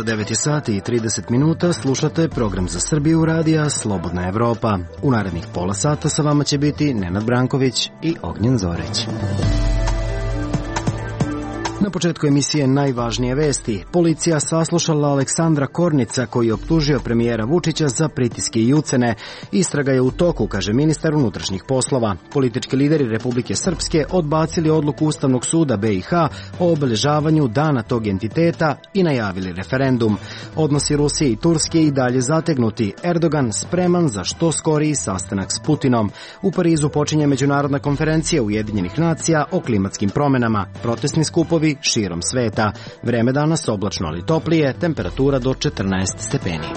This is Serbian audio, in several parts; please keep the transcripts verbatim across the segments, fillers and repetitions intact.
devet sati i trideset minuta, slušate program za Srbiju radija Slobodna Evropa. U narednih pola sata sa vama će biti Nenad Branković i Ognjen Zoreć. Na početku emisije najvažnije vesti. Policija saslušala Aleksandra Kornica koji je optužio premijera Vučića za pritiske i ucene. Istraga je u toku, kaže ministar unutrašnjih poslova. Politički lideri Republike Srpske odbacili odluku Ustavnog suda B i H o obeležavanju dana tog entiteta i najavili referendum. Odnosi Rusije i Turske i dalje zategnuti. Erdogan spreman za što skoriji sastanak s Putinom. U Parizu počinje međunarodna konferencija Ujedinjenih nacija o klimatskim promenama. Protestni skupovi širom sveta. Vreme danas oblačno ali toplije, temperatura do četrnaest stepeni.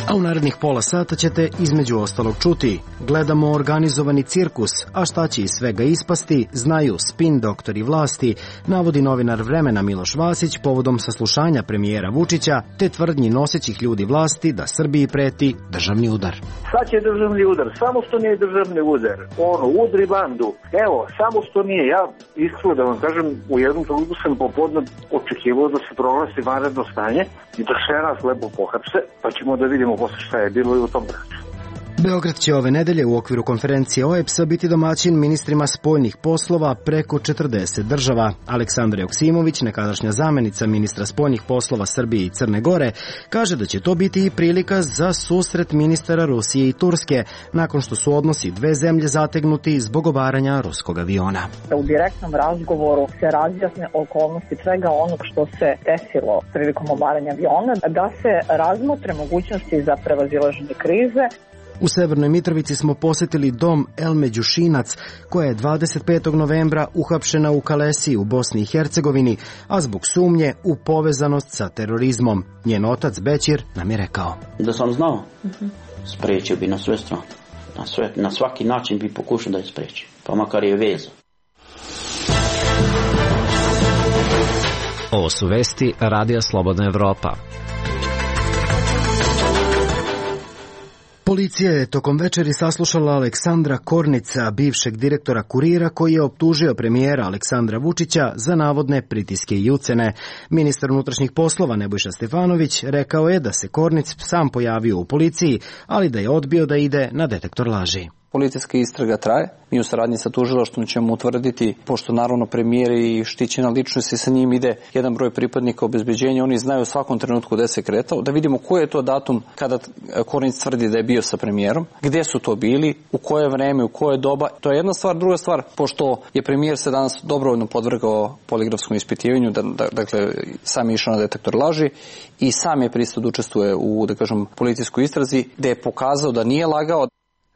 A u narednih pola sata ćete između ostalog čuti: gledamo organizovani cirkus, a šta će iz svega ispasti, znaju spin doktori vlasti, navodi novinar Vremena Miloš Vasić povodom saslušanja premijera Vučića, te tvrdnji nosećih ljudi vlasti da Srbiji preti državni udar. Sad će državni udar, samo što nije državni udar, ono, udri bandu, evo, samo što nije. Ja iskreno da vam kažem, u jednom trenutku sam popodne očekivao da se proglasi vanredno stanje i da sve nas lepo pohapse, pa ćemo da vidimo posle šta je bilo i u tom braću. Beograd će ove nedelje u okviru konferencije O E B S-a biti domaćin ministrima spoljnih poslova preko četrdeset država. Aleksandra Joksimović, nekadašnja zamenica ministra spoljnih poslova Srbije i Crne Gore, kaže da će to biti i prilika za susret ministara Rusije i Turske, nakon što su odnosi dve zemlje zategnuti zbog obaranja ruskog aviona. U direktnom razgovoru se razjasne okolnosti svega onog što se desilo prilikom obaranja aviona, da se razmotre mogućnosti za prevazilaženje krize. U Severnoj Mitrovici smo posetili dom Elme Đušinac, koja je dvadeset petog novembra uhapšena u Kalesiji u Bosni i Hercegovini, a zbog sumnje u povezanost sa terorizmom. Njen otac Bećir nam je rekao: Da sam znao, sprečio bi na sve strane. Na, sve, na svaki način bi pokušao da je spreči, pa makar je vezao. Ovo su vesti Radija Slobodna Evropa. Policija je tokom večeri saslušala Aleksandra Kornica, bivšeg direktora Kurira, koji je optužio premijera Aleksandra Vučića za navodne pritiske i ucene. Ministar unutrašnjih poslova Nebojša Stefanović rekao je da se Kornic sam pojavio u policiji, ali da je odbio da ide na detektor laži. Policijska istraga traje. Mi u saradnji sa tužilaštvom ćemo utvrditi, pošto naravno premijer i štićena ličnost i sa njim ide jedan broj pripadnika obezbeđenja, oni znaju u svakom trenutku gde se kretao, da vidimo koji je to datum kada Kornic tvrdi da je bio sa premijerom, gde su to bili, u koje vreme, u koje doba. To je jedna stvar. Druga stvar, pošto je premijer se danas dobrovoljno podvrgao poligrafskom ispitivanju, da, da, dakle sam je išao na detektor laži i sam je pristao da učestvuje u, da kažem, policijskoj istrazi, gde je pokazao da nije lagao.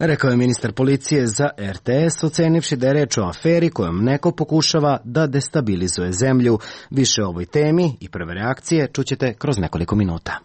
Rekao je ministar policije za R T S, ocenivši da je reč o aferi kojom neko pokušava da destabilizuje zemlju. Više o ovoj temi i prve reakcije čućete kroz nekoliko minuta.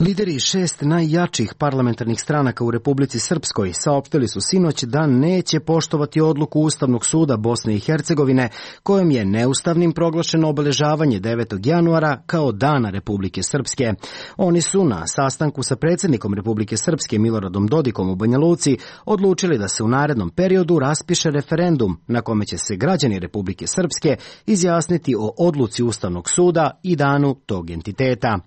Lideri šest najjačih parlamentarnih stranaka u Republici Srpskoj saopštili su sinoć da neće poštovati odluku Ustavnog suda Bosne i Hercegovine, kojom je neustavnim proglašeno obeležavanje devetog januara kao Dana Republike Srpske. Oni su na sastanku sa predsjednikom Republike Srpske Miloradom Dodikom u Banja Luci odlučili da se u narednom periodu raspiše referendum na kome će se građani Republike Srpske izjasniti o odluci Ustavnog suda i danu tog entiteta.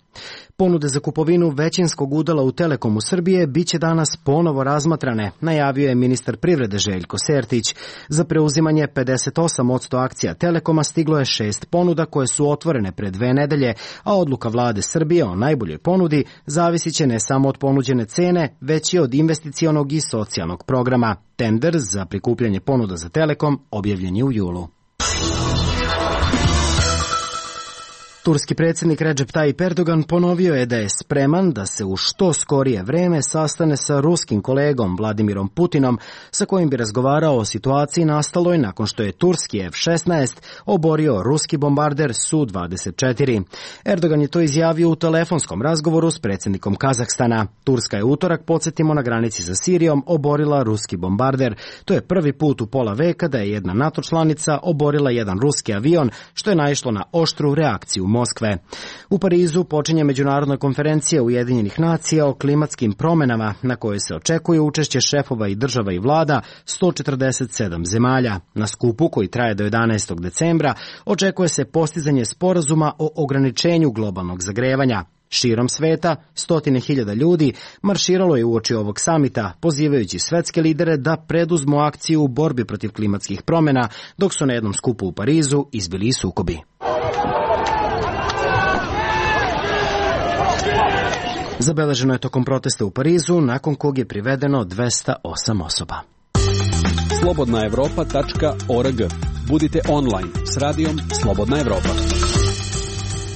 Ponude za kupovinu većinskog udela u Telekomu Srbije biće danas ponovo razmatrane, najavio je ministar privrede Željko Sertić. Za preuzimanje pedeset osam posto akcija Telekoma stiglo je šest ponuda koje su otvorene pre dve nedelje, a odluka vlade Srbije o najboljoj ponudi zavisit će ne samo od ponuđene cene, već i od investicionog i socijalnog programa. Tender za prikupljanje ponuda za Telekom objavljen je u julu. Turski predsjednik Recep Tayyip Erdogan ponovio je da je spreman da se u što skorije vreme sastane sa ruskim kolegom Vladimirom Putinom, sa kojim bi razgovarao o situaciji nastaloj nakon što je turski F šesnaest oborio ruski bombarder Su dvadeset četiri. Erdogan je to izjavio u telefonskom razgovoru s predsjednikom Kazahstana. Turska je utorak, podsjetimo, na granici sa Sirijom oborila ruski bombarder. To je prvi put u pola veka da je jedna NATO članica oborila jedan ruski avion, što je naišlo na oštru reakciju Moskve. U Parizu počinje međunarodna konferencija Ujedinjenih nacija o klimatskim promenama, na kojoj se očekuje učešće šefova i država i vlada sto četrdeset sedam zemalja. Na skupu, koji traje do jedanaestog decembra, očekuje se postizanje sporazuma o ograničenju globalnog zagrevanja. Širom sveta, stotine hiljada ljudi marširalo je uoči ovog samita, pozivajući svetske lidere da preduzmu akciju u borbi protiv klimatskih promjena, dok su na jednom skupu u Parizu izbili i sukobi. Zabeleženo je tokom protesta u Parizu, nakon kog je privedeno dvesta osam osoba. slobodna evropa tačka org. Budite online s radijom Slobodna Evropa.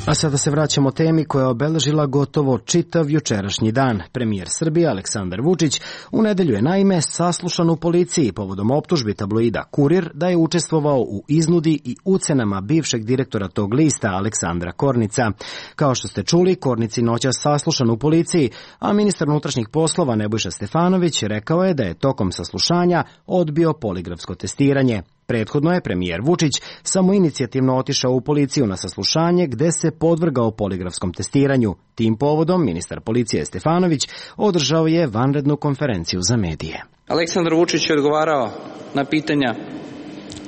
A sada se vraćamo temi koja je obeležila gotovo čitav jučerašnji dan. Premijer Srbije Aleksandar Vučić u nedelju je naime saslušan u policiji povodom optužbi tabloida Kurir da je učestvovao u iznudi i ucenama bivšeg direktora tog lista Aleksandra Kornica. Kao što ste čuli, Kornici noćas saslušan u policiji, a ministar unutrašnjih poslova Nebojša Stefanović rekao je da je tokom saslušanja odbio poligrafsko testiranje. Prethodno je premijer Vučić samoinicijativno otišao u policiju na saslušanje gde se podvrgao poligrafskom testiranju. Tim povodom ministar policije Stefanović održao je vanrednu konferenciju za medije. Aleksandar Vučić je odgovarao na pitanja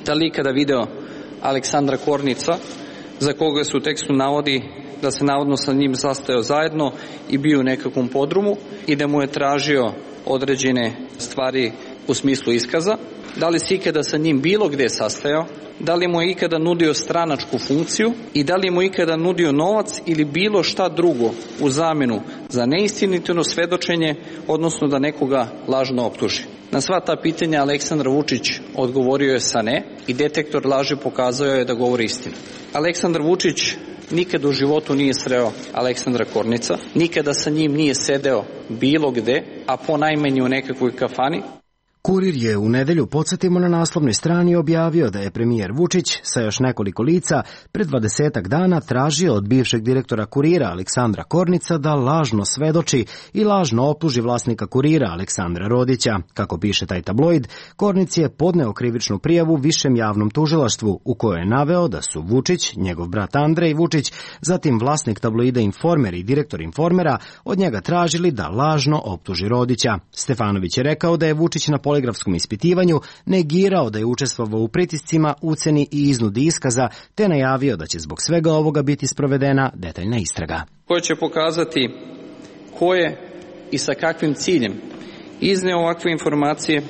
da li ikada video Aleksandra Kornica, za koga se u tekstu navodi da se navodno sa njim sastajao zajedno i bio u nekakvom podrumu i da mu je tražio određene stvari u smislu iskaza. Da li se ikada sa njim bilo gde sastajao, da li mu je ikada nudio stranačku funkciju i da li mu je ikada nudio novac ili bilo šta drugo u zamenu za neistinito svedočenje, odnosno da nekoga lažno optuži. Na sva ta pitanja Aleksandar Vučić odgovorio je sa ne i detektor laži pokazao je da govori istinu. Aleksandar Vučić nikada u životu nije sreo Aleksandra Kornica, nikada sa njim nije sedeo bilo gde, a ponajmanje u nekakvoj kafani. Kurir je u nedelju, podsjetimo, na naslovnoj strani objavio da je premijer Vučić sa još nekoliko lica pred dvadesetak dana tražio od bivšeg direktora Kurira Aleksandra Kornica da lažno svedoči i lažno optuži vlasnika Kurira Aleksandra Rodića. Kako piše taj tabloid, Kornic je podneo krivičnu prijavu višem javnom tužilaštvu u kojoj je naveo da su Vučić, njegov brat Andrej Vučić, zatim vlasnik tabloida Informer i direktor Informera od njega tražili da lažno optuži Rodića. Stefanović je rekao da je Vučić na poligrafskom ispitivanju negirao da je učestvovao u pritiscima, uceni i iznudi iskaza, te najavio da će zbog svega ovoga biti sprovedena detaljna istraga. Koja će pokazati ko je i sa kakvim ciljem izneo ovakve informacije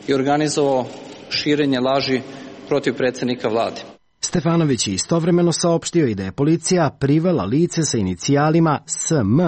i organizovao širenje laži protiv predsjednika vlade. Stefanović je istovremeno saopštio i da je policija privela lice sa inicijalima S M,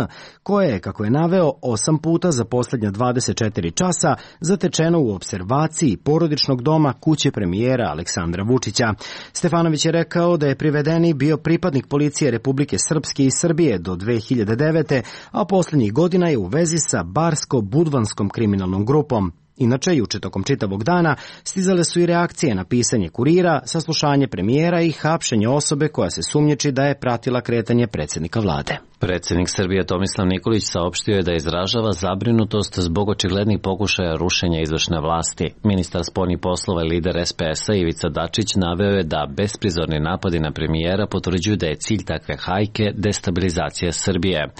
koje je, kako je naveo, osam puta za posljednja dvadeset četiri časa zatečeno u opservaciji porodičnog doma kuće premijera Aleksandra Vučića. Stefanović je rekao da je privedeni bio pripadnik policije Republike Srpske i Srbije do dve hiljade devete. a posljednjih godina je u vezi sa Barsko-Budvanskom kriminalnom grupom. Inače, juče tokom čitavog dana stizale su i reakcije na pisanje Kurira, saslušanje premijera i hapšenje osobe koja se sumnjiči da je pratila kretanje predsjednika vlade. Predsjednik Srbije Tomislav Nikolić saopštio je da izražava zabrinutost zbog očiglednih pokušaja rušenja izvršne vlasti. Ministar spoljnih poslova i lider S P S-a Ivica Dačić naveo je da besprizorni napadi na premijera potvrđuju da je cilj takve hajke destabilizacija Srbije.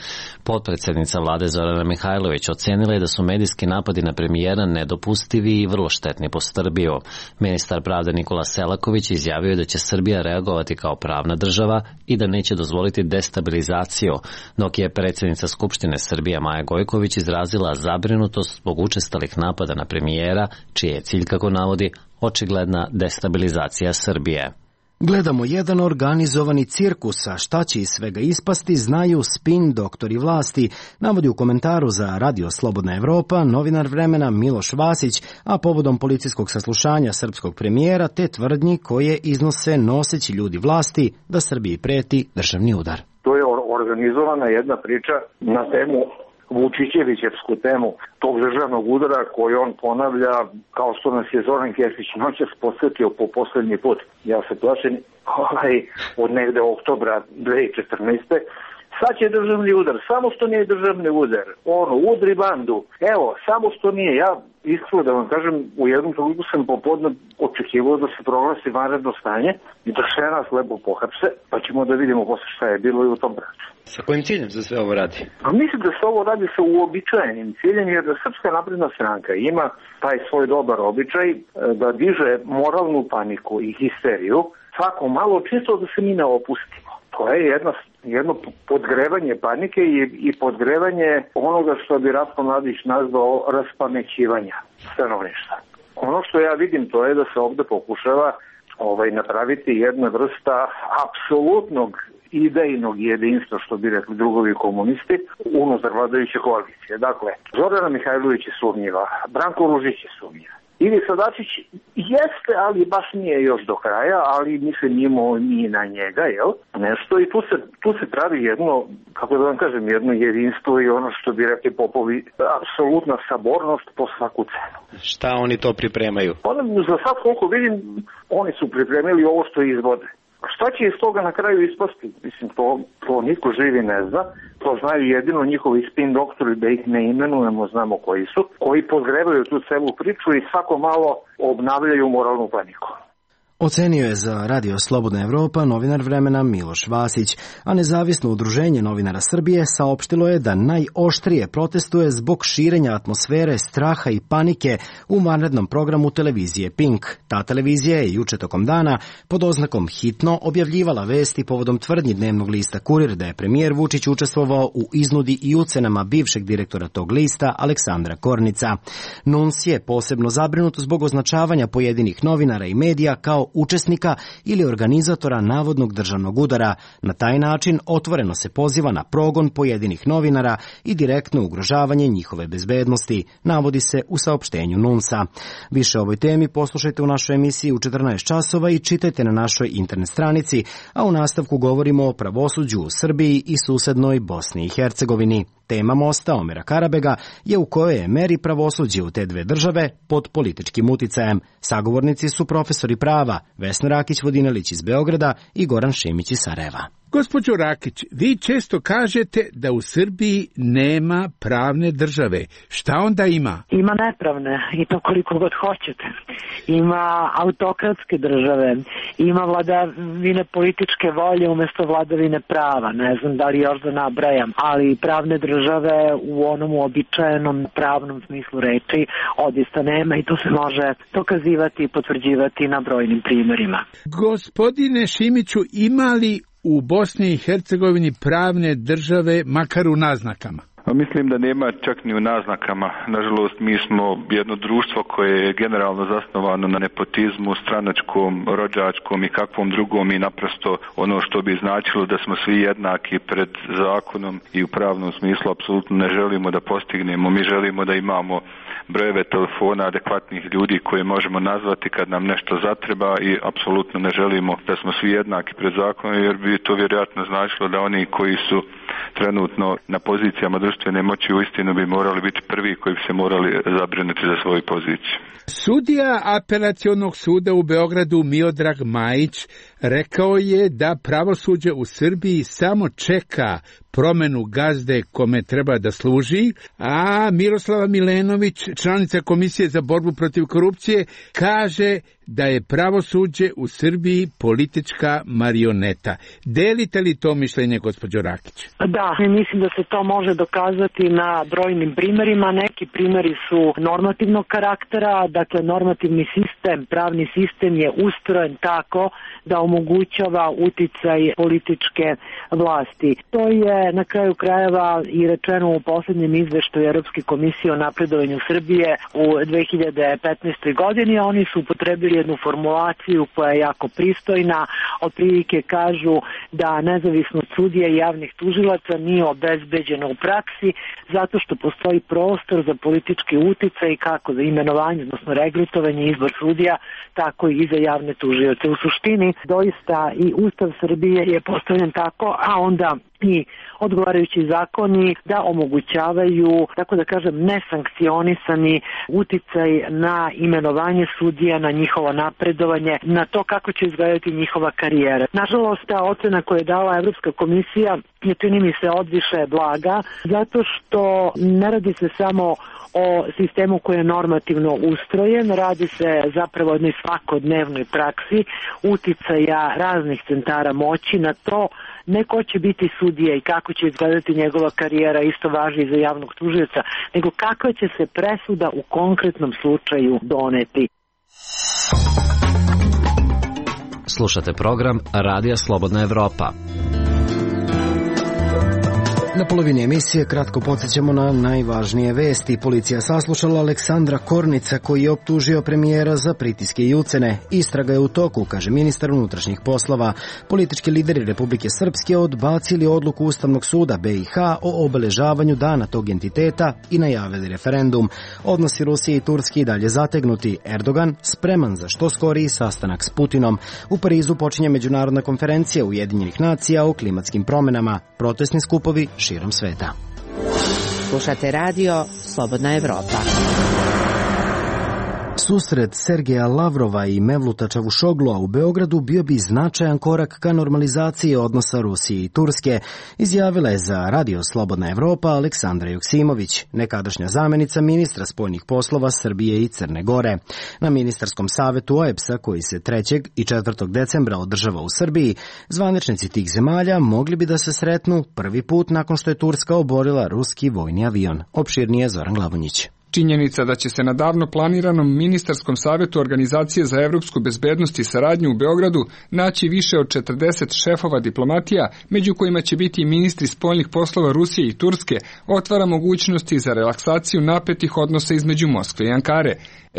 Potpredsjednica vlade Zorana Mihajlović ocenila je da su medijski napadi na premijera nedopustivi i vrlo štetni po Srbiju. Ministar pravde Nikola Selaković izjavio je da će Srbija reagovati kao pravna država i da neće dozvoliti destabilizaciju, dok je predsjednica Skupštine Srbije Maja Gojković izrazila zabrinutost zbog učestalih napada na premijera, čiji je cilj, kako navodi, očigledna destabilizacija Srbije. Gledamo jedan organizovani cirkus, a šta će iz svega ispasti znaju spin doktori vlasti, navodi u komentaru za Radio Slobodna Evropa novinar Vremena Miloš Vasić, a povodom policijskog saslušanja srpskog premijera te tvrdnji koje iznose noseći ljudi vlasti da Srbiji preti državni udar. To je organizovana jedna priča na temu Vučićevićevsku temu tog državnog udara koji on ponavlja kao što nas je Zoran Kesić noćas posjetio po poslednji put. Ja se plašim ovaj, od negde oktobra dve hiljade četrnaeste. Sad će državni udar, samo što nije državni udar, ono, udri bandu, evo, samo što nije, ja iskreno da vam kažem, u jednom trenutku sam popodne očekivao da se proglasi vanredno stanje i da sve nas lepo pohapse, pa ćemo da vidimo posle šta je bilo i u tom braću. Sa kojim ciljem se sve ovo radi? A mislim da se ovo radi sa uobičajenim ciljem, jer da Srpska napredna stranka ima taj svoj dobar običaj da diže moralnu paniku i histeriju svako malo, čisto da se mi ne opustimo. To je jedno, jedno podgrevanje panike i, i podgrevanje onoga što bi Ratko Mladić nazvao raspamećivanja stanovništva. Ono što ja vidim to je da se ovde pokušava ovaj, napraviti jedna vrsta apsolutnog idejnog jedinstva, što bi rekli drugovi komunisti, unutar vladajuće koalicije. Dakle, Zorana Mihajlović je sumnjiva, Branko Ružić je sumnjiv. Ivica Dačić jeste, ali baš nije još do kraja, ali mi se njimo ni na njega, jel? Nešto i tu se, tu se pravi jedno, kako da vam kažem, jedno jedinstvo i ono što bi rekli popovi, apsolutna sabornost po svaku cenu. Šta oni to pripremaju? Ono, za sad koliko vidim, oni su pripremili ovo što izvode. Šta će iz toga na kraju ispasti? Mislim, to, to niko živi ne zna. To znaju jedino njihovi spin doktori, da ih ne imenujemo, znamo koji su, koji podgrevaju tu celu priču i svako malo obnavljaju moralnu paniku. Ocenio je za Radio Slobodna Evropa novinar Vremena Miloš Vasić, a nezavisno udruženje novinara Srbije saopštilo je da najoštrije protestuje zbog širenja atmosfere straha i panike u vanrednom programu televizije Pink. Ta televizija je juče tokom dana pod oznakom hitno objavljivala vesti povodom tvrdnji dnevnog lista Kurir da je premijer Vučić učestvovao u iznudi i ucenama bivšeg direktora tog lista Aleksandra Kornica. Nuns je posebno zabrinut zbog označavanja pojedinih novinara i medija kao učesnika ili organizatora navodnog državnog udara. Na taj način otvoreno se poziva na progon pojedinih novinara i direktno ugrožavanje njihove bezbednosti, navodi se u saopštenju Nunsa. Više o ovoj temi poslušajte u našoj emisiji u četrnaest časova i čitajte na našoj internet stranici, a u nastavku govorimo o pravosuđu u Srbiji i susednoj Bosni i Hercegovini. Tema mosta Omera Karabega je u kojoj je meri pravosuđe u te dve države pod političkim uticajem. Sagovornici su profesori prava Vesna Rakić-Vodinelić iz Beograda i Goran Šimić iz Sarajeva. Gospođo Rakić, vi često kažete da u Srbiji nema pravne države. Šta onda ima? Ima nepravne i to koliko god hoćete. Ima autokratske države, ima vladavine političke volje umjesto vladavine prava. Ne znam da li još da nabrajam, ali pravne države u onom uobičajenom pravnom smislu reči odista nema i to se može dokazivati i potvrđivati na brojnim primjerima. Gospodine Šimiću, ima li u Bosni i Hercegovini pravne države, makar u naznakama? Mislim da nema čak ni u naznakama. Nažalost, mi smo jedno društvo koje je generalno zasnovano na nepotizmu, stranačkom, rođačkom i kakvom drugom i naprosto ono što bi značilo da smo svi jednaki pred zakonom i u pravnom smislu apsolutno ne želimo da postignemo. Mi želimo da imamo brojeve telefona adekvatnih ljudi koje možemo nazvati kad nam nešto zatreba i apsolutno ne želimo da smo svi jednaki pred zakonom, jer bi to vjerojatno značilo da oni koji su trenutno na pozicijama društvene moći uistinu bi morali biti prvi koji bi se morali zabrinuti za svoju poziciju. Sudija Apelacionog suda u Beogradu Miodrag Majić rekao je da pravosuđe u Srbiji samo čeka promenu gazde kome treba da služi, a Miroslava Milenović, članica Komisije za borbu protiv korupcije, kaže da je pravosuđe u Srbiji politička marioneta. Delite li to mišljenje, gospođo Rakić? Da, mislim da se to može dokazati na brojnim primjerima. Neki primjeri su normativnog karaktera, dakle normativni sistem, pravni sistem je ustrojen tako da omogućava uticaj političke vlasti. To je na kraju krajeva i rečeno u poslednjem izveštaju Evropske komisije o napredovanju Srbije u dve hiljade petnaestoj godini. Oni su upotrebili jednu formulaciju koja je jako pristojna, otprilike kažu da nezavisnost sudija i javnih tužilaca nije obezbeđena u praksi zato što postoji prostor za politički uticaj kako za imenovanje, odnosno regrutovanje i izbor sudija, tako i za javne tužioce. U suštini, doista i Ustav Srbije je postavljen tako, a onda i odgovarajući zakoni da omogućavaju, tako da kažem, nesankcionisani uticaj na imenovanje sudija, na njihovo napredovanje, na to kako će izgledati njihova karijera. Nažalost, ta ocena koju je dala Evropska komisija je, čini mi se, odviše blaga, zato što ne radi se samo o sistemu koji je normativno ustrojen, radi se zapravo o jednoj svakodnevnoj praksi uticaja raznih centara moći na to ne ko će biti sudija i kako će izgledati njegova karijera, isto važi i za javnog tužioca, nego kakva će se presuda u konkretnom slučaju doneti. Slušate program Radija Slobodna Evropa. Na polovini emisije kratko podsjećamo na najvažnije vesti. Policija saslušala Aleksandra Kornica koji je optužio premijera za pritiske i ucene. Istraga je u toku, kaže ministar unutrašnjih poslova. Politički lideri Republike Srpske odbacili odluku Ustavnog suda B i H o obeležavanju dana tog entiteta i najavili referendum. Odnosi Rusije i Turske i dalje zategnuti. Erdogan spreman za što skoriji sastanak s Putinom. U Parizu počinje međunarodna konferencija Ujedinjenih nacija o klimatskim promenama. Protestni skupovi širom sveta. Slušate radio Slobodna Evropa. Susret Sergeja Lavrova i Mevluta Čavušoglua u Beogradu bio bi značajan korak ka normalizaciji odnosa Rusije i Turske, izjavila je za radio Slobodna Evropa Aleksandra Joksimović, nekadašnja zamenica ministra spoljnih poslova Srbije i Crne Gore. Na ministarskom savetu O E B S-a, koji se trećeg i četvrtog decembra održava u Srbiji, zvaničnici tih zemalja mogli bi da se sretnu prvi put nakon što je Turska oborila ruski vojni avion. Opširnije Zoran Glavonjić. Činjenica da će se na davno planiranom ministarskom savetu Organizacije za evropsku bezbednost i saradnju u Beogradu naći više od četrdeset šefova diplomatija, među kojima će biti i ministri spoljnih poslova Rusije i Turske, otvara mogućnosti za relaksaciju napetih odnosa između Moskve i Ankare.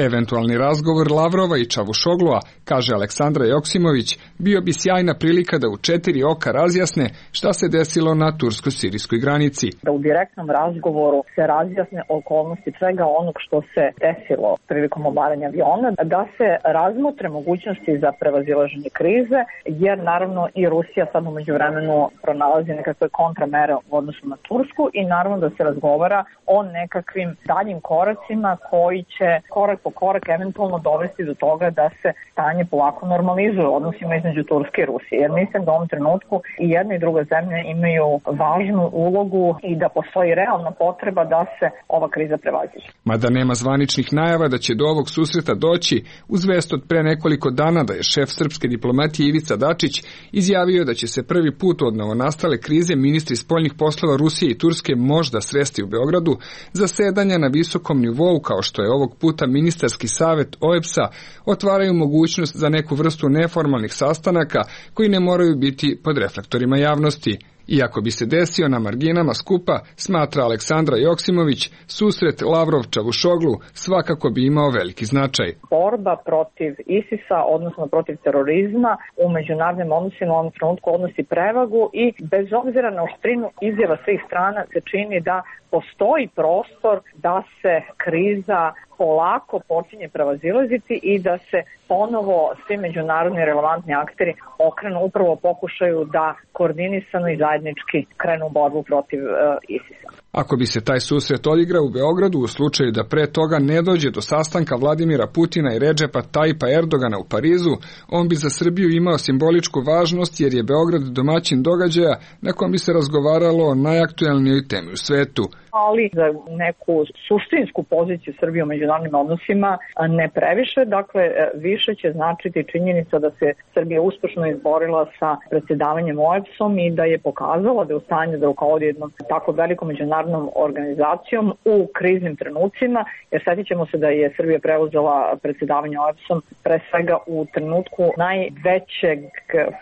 Eventualni razgovor Lavrova i Čavušoglua, kaže Aleksandra Joksimović, bio bi sjajna prilika da u četiri oka razjasne šta se desilo na tursko-sirijskoj granici. Da u direktnom razgovoru se razjasne okolnosti svega onog što se desilo prilikom obaranja aviona, da se razmotre mogućnosti za prevazilaženje krize, jer naravno i Rusija sad umeđu vremenu pronalazi nekakve kontramere u odnosu na Tursku i naravno da se razgovara o nekakvim daljim koracima koji će korak po korak eventualno dovesti do toga da se stanje polako normalizuje u odnosima između Turske i Rusije. Jer mislim da u ovom trenutku i jedna i druga zemlja imaju važnu ulogu i da postoji realna potreba da se ova kriza prevaziđe. Mada nema zvaničnih najava da će do ovog susreta doći, uz vest od pre nekoliko dana da je šef srpske diplomatije Ivica Dačić izjavio da će se prvi put od novonastale krize ministri spoljnih poslova Rusije i Turske možda sresti u Beogradu, zasedanja na visokom nivou kao što je ovog puta ministarski savet O E B S-a otvaraju mogućnost za neku vrstu neformalnih sastanaka koji ne moraju biti pod reflektorima javnosti. Iako bi se desio na marginama skupa, smatra Aleksandra Joksimović, susret Lavrov-Čavušoglu svakako bi imao veliki značaj. Borba protiv ISIS-a, odnosno protiv terorizma, u međunarodnim odnosima u ovom trenutku odnosi prevagu i bez obzira na oštrinu izjava svih strana se čini da postoji prostor da se kriza polako počinje prevazilaziti i da se ponovo svi međunarodni relevantni akteri okrenu upravo pokušaju da koordinisano i zajednički krenu borbu protiv uh, ISIS-a. Ako bi se taj susret odigrao u Beogradu u slučaju da pre toga ne dođe do sastanka Vladimira Putina i Redžepa Tajipa Erdogana u Parizu, on bi za Srbiju imao simboličku važnost jer je Beograd domaćin događaja na kom bi se razgovaralo o najaktuelnijoj temi u svetu. ali za neku suštinsku poziciju Srbije u međunarodnim odnosima ne previše. Dakle, više će značiti činjenica da se Srbija uspešno izborila sa predsjedavanjem O E B S-om i da je pokazala da je u stanju da rukovodi jednom tako velikom međunarodnom organizacijom u kriznim trenucima, jer sjetit ćemo se da je Srbija preuzela predsjedavanje O E B S-om pre svega u trenutku najvećeg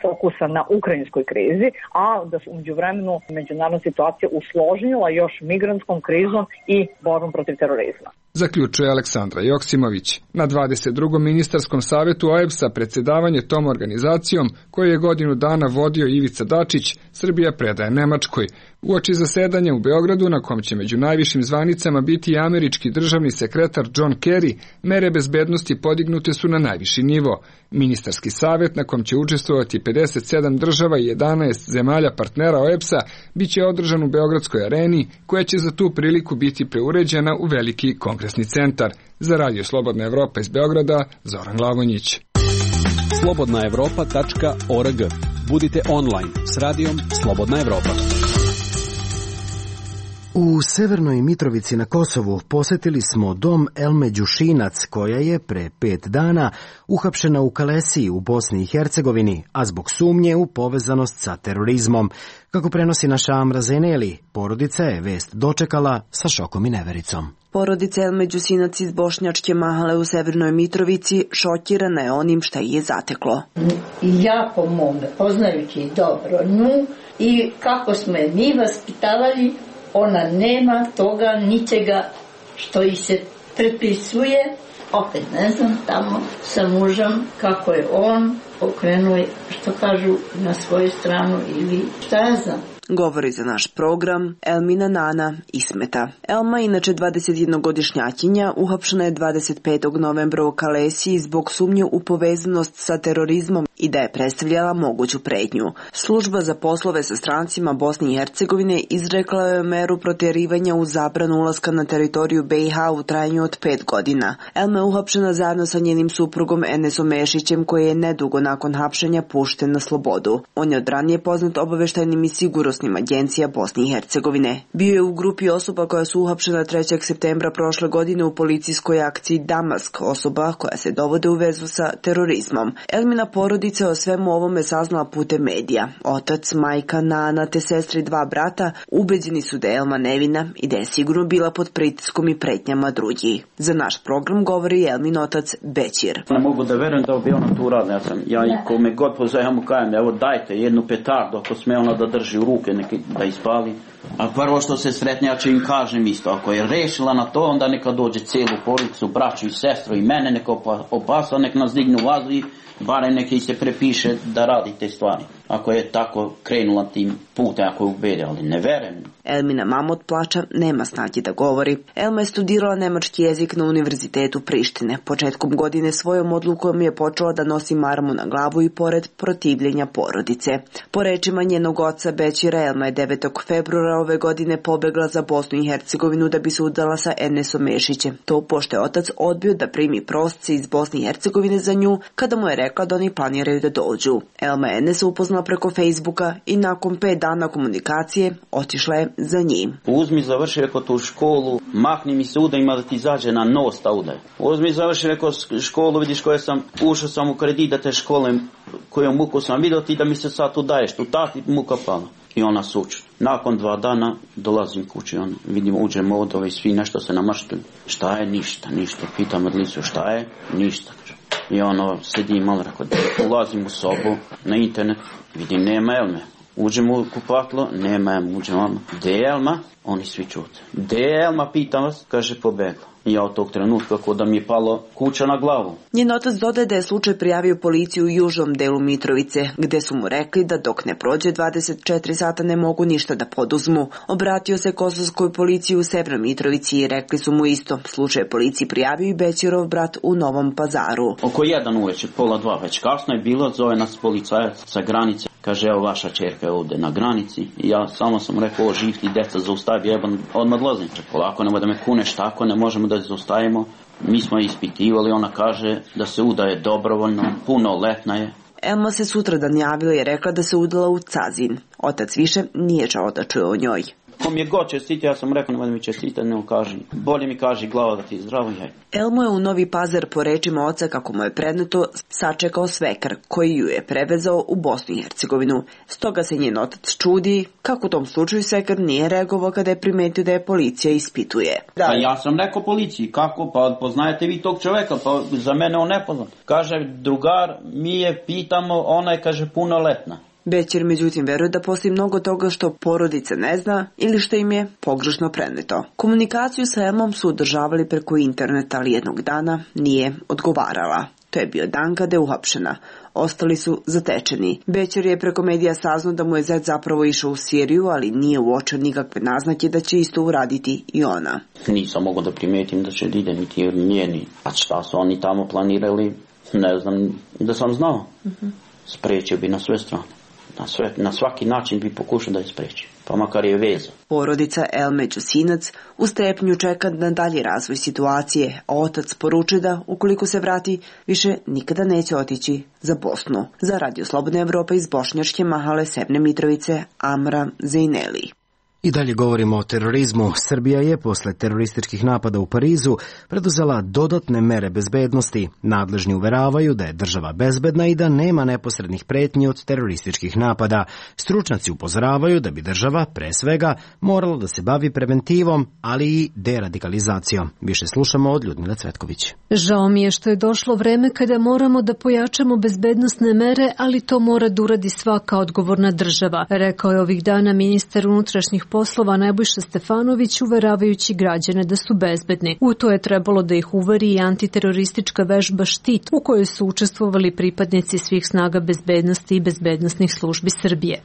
fokusa na ukrajinskoj krizi, a da su umeđu vremenu međunarodna situacija usložnila još migrantskom krizom i borbom protiv terorizma. Zaključuje Aleksandra Joksimović. Na dvadeset drugom ministarskom savjetu O E B S-a predsjedavanje tom organizacijom, koju je godinu dana vodio Ivica Dačić, Srbija predaje Nemačkoj. Uoči zasedanja u Beogradu, na kom će među najvišim zvanicama biti i američki državni sekretar John Kerry, mere bezbednosti podignute su na najviši nivo. Ministarski savjet, na kom će učestvovati pedeset sedam država i jedanaest zemalja partnera O E B S-a, bit će održan u Beogradskoj areni, koja će za tu priliku biti preuređena u veliki kongresni centar. Za Radio Slobodna Evropa iz Beograda, Zoran Glavonjić. slobodna evropa tačka org. Budite online s radijom Slobodna Evropa. U Severnoj Mitrovici na Kosovu posetili smo dom Elme Đušinac, koja je pre pet dana uhapšena u Kalesiji u Bosni i Hercegovini, a zbog sumnje u povezanost sa terorizmom. Kako prenosi naša Amra Zeneli, porodica je vest dočekala sa šokom i nevericom. Porodica Elme Đusinac iz Bošnjačke Mahale u Severnoj Mitrovici šokirana je onim šta je zateklo. Ja po mome, poznajući dobro nju i kako smo je mi vaspitavali, ona nema toga, ničega što ih se prepisuje. Opet ne znam, tamo sa mužem, kako je on okrenuo, što kažu, na svoju stranu ili šta ja znam. Govori za naš program Elmina Nana Ismeta. Elma, inače dvadesetjednogodišnjakinja, uhapšena je dvadeset petog novembra u Kalesiji zbog sumnje u povezanost sa terorizmom i da je predstavljala moguću pretnju. Služba za poslove sa strancima Bosne i Hercegovine izrekla je meru protjerivanja u zabranu ulaska na teritoriju B i H u trajanju od pet godina. Elma je uhapšena zajedno sa njenim suprugom Enesom Mešićem, koji je nedugo nakon hapšenja pušten na slobodu. On je od ranije poznat obaveštajnim i sigurnosnim agencija Bosne i Hercegovine. Bio je u grupi osoba koja su uhapšena trećeg septembra prošle godine u policijskoj akciji Damask, osoba koja se dovode u vezu sa terorizmom. Elmina porodica o svemu ovome saznala putem medija. Otac, majka, nana te sestri i dva brata ubeđeni su da je Elma nevina i da je sigurno bila pod pritiskom i pretnjama drugih. Za naš program govori Elmin otac Bećir. Ne mogu da verujem da bi ona tu radila. Ja sam, ja i kome god pozajamo kajem, evo dajte jednu petardu ako sme ona da drži u ruke, neki, da ispali. A prvo što se sretne, ja ću im kažem isto, ako je rešila na to, onda neka dođe cijelu porodicu, braću i sestru i mene, neka opasa, nek nas dignu u vazu i barem neki se prepiše da radi te stvari. Ako je tako krenula tim putem, ako je ubede, ali ne verujem. Elmina mama od plača nema snage da govori. Elma je studirala nemački jezik na Univerzitetu Prištine. Početkom godine svojom odlukom je počela da nosi marmu na glavu i pored protivljenja porodice. Po rečima njenog oca Bećira, Elma je devetog februara ove godine pobegla za Bosnu i Hercegovinu da bi se udala sa Enesom Mešićem. To pošto je otac odbio da primi prosce iz Bosne i Hercegovine za nju, kada mu je rekla da oni planiraju da dođu. Elma je Enesa upoznala preko Facebooka i nakon pet dana komunikacije otišla je za njim. Uzmi, završi reko tu školu, mahni mi se uda, ima da ti izađe na nos ta uda. Uzmi, završi reko školu, vidiš koje sam, ušao sam u kredit da te škole, koju muku sam vidio ti da mi se sad tu daješ, tu tati muka pala. I ona suču. Nakon dva dana dolazim kući, on, vidimo, uđemo od ove svi nešto se namaštili. Šta je? Ništa, ništa. Pitam Adlicu šta je? Ništa. I ono, sedi malo, rekao, ulazim u sobu, na internet, vidim, nema Elme. Uđemo u kupatlo, nema Elme, uđemo Elma. Gde je Elma? Oni svi čute. Gde je Elma, pitam vas, kaže, pobegla. I ja od tog trenutka kako da mi je palo kuća na glavu. Njen otac dodaje da je slučaj prijavio policiju u južnom delu Mitrovice, gde su mu rekli da dok ne prođe dvadeset četiri sata ne mogu ništa da poduzmu. Obratio se kosovskoj policiji u Severnoj Mitrovici i rekli su mu isto. Slučaj policiji prijavio i Bećirov brat u Novom Pazaru. Oko jedan uveče, pola dva, već kasno je bilo, zove nas policajac sa granice. Kaže, evo vaša čerka je ovde na granici. I ja samo sam rekao, o, živ ti deca, zaustavi, jebam, odmah odlazim. Polako, nemoj da me kuneš tako, ne možemo da zaustavimo. Mi smo ispitivali, ona kaže da se udaje dobrovoljno, punoletna je. Elma se sutradan javila i rekla da se udala u Cazin. Otac više nije želeo da čuje o njoj. Ko mi je god čestiti, ja sam rekao, nemoj da mi čestite, ne kaži. Bolje mi kaži glava da ti je zdravo. Elmo je u Novi Pazar, po rečima oca kako mu je predneto, sačekao svekar koji ju je prevezao u Bosnu i Hercegovinu. Stoga se njen otac čudi kako u tom slučaju svekar nije reagovao kada je primetio da je policija ispituje. Da. Pa ja sam rekao policiji, kako, pa poznajete vi tog čoveka, pa za mene on nepoznat. Kaže, drugar, mi je pitamo, ona je, kaže, punoletna. Bećir međutim veruje da postoji mnogo toga što porodica ne zna ili što im je pogrešno preneto. Komunikaciju sa Elmom su održavali preko interneta, ali jednog dana nije odgovarala. To je bio dan kada je uhapšena. Ostali su zatečeni. Bećir je preko medija saznao da mu je zet zapravo išao u Siriju, ali nije uočio nikakve naznake da će isto uraditi i ona. Nisam mogao da primetim da će ide niti njeni. A šta su oni tamo planirali, ne znam, da sam znao. Uh-huh. Sprečio bi na sve strane. Na, sve, na svaki način bi pokušao da je spreči, pa makar je veza. Porodica Elme Đusinac u strepnju čeka na dalji razvoj situacije, a otac poručuje da, ukoliko se vrati, više nikada neće otići za Bosnu. Za Radio Slobodna Evropa iz Bošnjačke Mahale, Sevne Mitrovice, Amra Zejneli. I dalje govorimo o terorizmu. Srbija je posle terorističkih napada u Parizu preduzela dodatne mere bezbednosti. Nadležni uveravaju da je država bezbedna i da nema neposrednih pretnji od terorističkih napada. Stručnjaci upozoravaju da bi država, pre svega, morala da se bavi preventivom, ali i deradikalizacijom. Više slušamo od Ljudmile Cvetković. Žao mi je što je došlo vreme kada moramo da pojačamo bezbednosne mere, ali to mora da uradi svaka odgovorna država, rekao je ovih dana ministar unutrašnjih poslova Nebojša Stefanović, uveravajući građane da su bezbedni. U to je trebalo da ih uveri i antiteroristička vežba Štit, u kojoj su učestvovali pripadnici svih snaga bezbednosti i bezbednosnih službi Srbije.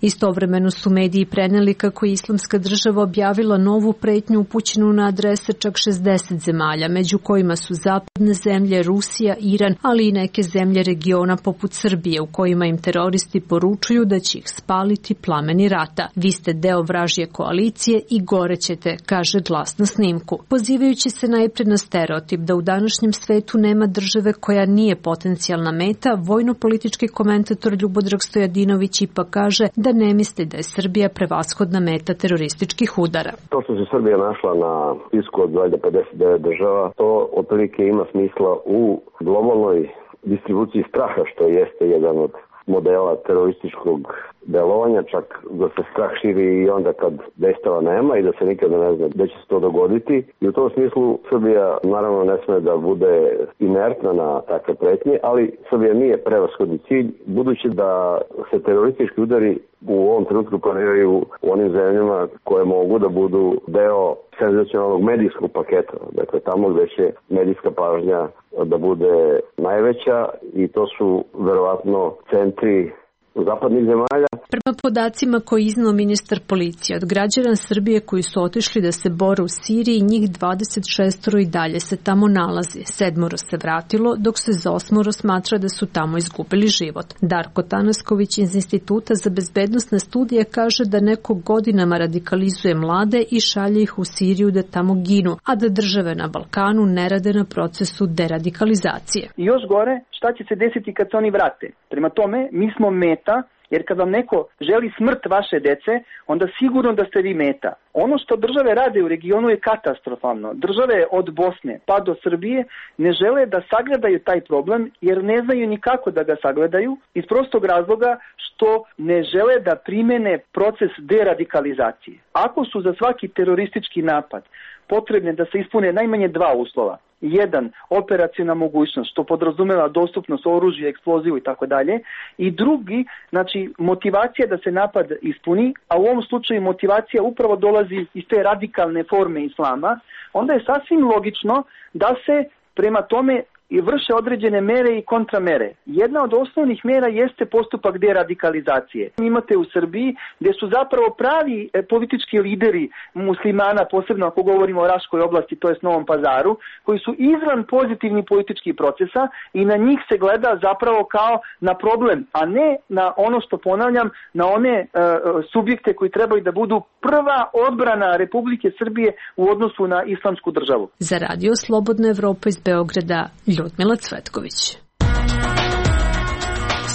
Istovremeno su mediji preneli kako je Islamska država objavila novu pretnju upućenu na adrese čak šezdeset zemalja, među kojima su zapadne zemlje, Rusija, Iran, ali i neke zemlje regiona poput Srbije, u kojima im teroristi poručuju da će ih spaliti plameni rata. Vi ste deo vražje koalicije i gorećete, kaže glas na snimku. Pozivajući se najpred na stereotip da u današnjem svetu nema države koja nije potencijalna meta, vojno-politički komentator Ljubodrag Stojadinović ipak kaže da ne misli da je Srbija prevashodna meta terorističkih udara. To što se Srbija našla na spisku od pedeset devet država, to otprilike ima smisla u globalnoj distribuciji straha, što jeste jedan od modela terorističkog delovanja, čak da se strah širi i onda kad dejstava nema i da se nikada ne zna gde će se to dogoditi. I u tom smislu Srbija naravno ne sme da bude inertna na takve pretnje, ali Srbija nije prevashodni cilj, budući da se teroristički udari u ovom trenutku planiraju u onim zemljama koje mogu da budu deo senzacionalnog medijskog paketa. Dakle, tamo gde će medijska pažnja da bude najveća i to su verovatno centri zapadnih zemalja. Prema podacima koji iznao ministar policije, od građana Srbije koji su otišli da se bore u Siriji, njih dvadeset šest i dalje se tamo nalazi. Sedmoro se vratilo, dok se za osmoro smatra da su tamo izgubili život. Darko Tanasković iz Instituta za bezbednosne studije kaže da neko godinama radikalizuje mlade i šalje ih u Siriju da tamo ginu, a da države na Balkanu ne rade na procesu deradikalizacije. I još gore, šta će se desiti kad se oni vrate? Prema tome, mi smo meta, jer kad vam neko želi smrt vaše dece, onda sigurno da ste vi meta. Ono što države rade u regionu je katastrofalno. Države od Bosne pa do Srbije ne žele da sagledaju taj problem, jer ne znaju ni kako da ga sagledaju, iz prostog razloga što ne žele da primene proces deradikalizacije. Ako su za svaki teroristički napad potrebne da se ispune najmanje dva uslova. Jedan, operaciona mogućnost, što podrazumeva dostupnost oružja, eksplozivu i tako dalje. I drugi, znači motivacija da se napad ispuni, a u ovom slučaju motivacija upravo dolazi iz te radikalne forme islama, onda je sasvim logično da se prema tome i vrše određene mere i kontramere. Jedna od osnovnih mera jeste postupak deradikalizacije. Imate u Srbiji gdje su zapravo pravi politički lideri muslimana, posebno ako govorimo o Raškoj oblasti, to jest Novom Pazaru, koji su izvan pozitivnih političkih procesa i na njih se gleda zapravo kao na problem, a ne na ono što ponavljam, na one uh, subjekte koji trebaju da budu prva odbrana Republike Srbije u odnosu na islamsku državu. Za Radio Slobodna Evropa iz Beograda, Ljudmila Cvetković.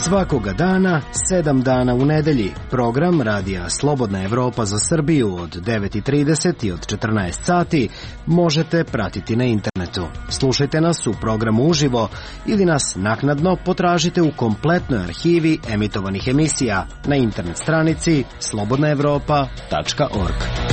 Svakoga dana, sedam dana u nedelji, program Radija Slobodna Evropa za Srbiju od devet i trideset i od četrnaest sati možete pratiti na internetu. Slušajte nas u programu uživo ili nas naknadno potražite u kompletnoj arhivi emitovanih emisija na internet stranici slobodna evropa tačka org.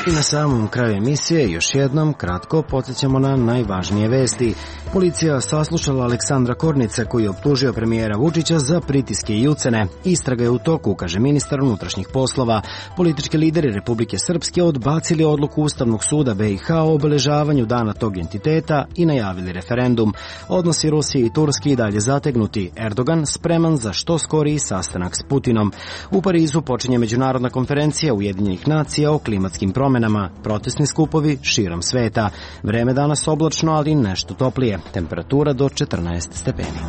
I na samom kraju emisije još jednom kratko podsjećamo na najvažnije vesti. Policija saslušala Aleksandra Kornica koji je optužio premijera Vučića za pritiske i ucene. Istraga je u toku, kaže ministar unutrašnjih poslova. Politički lideri Republike Srpske odbacili odluku Ustavnog suda be i ha o obeležavanju dana tog entiteta i najavili referendum. Odnosi Rusije i Turske i dalje zategnuti. Erdogan spreman za što skoriji sastanak s Putinom. U Parizu počinje međunarodna konferencija Ujedinjenih nacija o klimatskim promenama. Protestni skupovi širom sveta. Vreme danas oblačno, ali nešto toplije. Temperatura do četrnaest stepeni.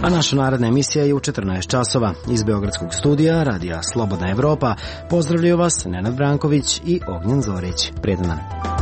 A naša naredna emisija je u četrnaest časova. Iz Beogradskog studija Radija Slobodna Evropa pozdravljaju vas Nenad Branković i Ognjen Zorić. Prijetan dan.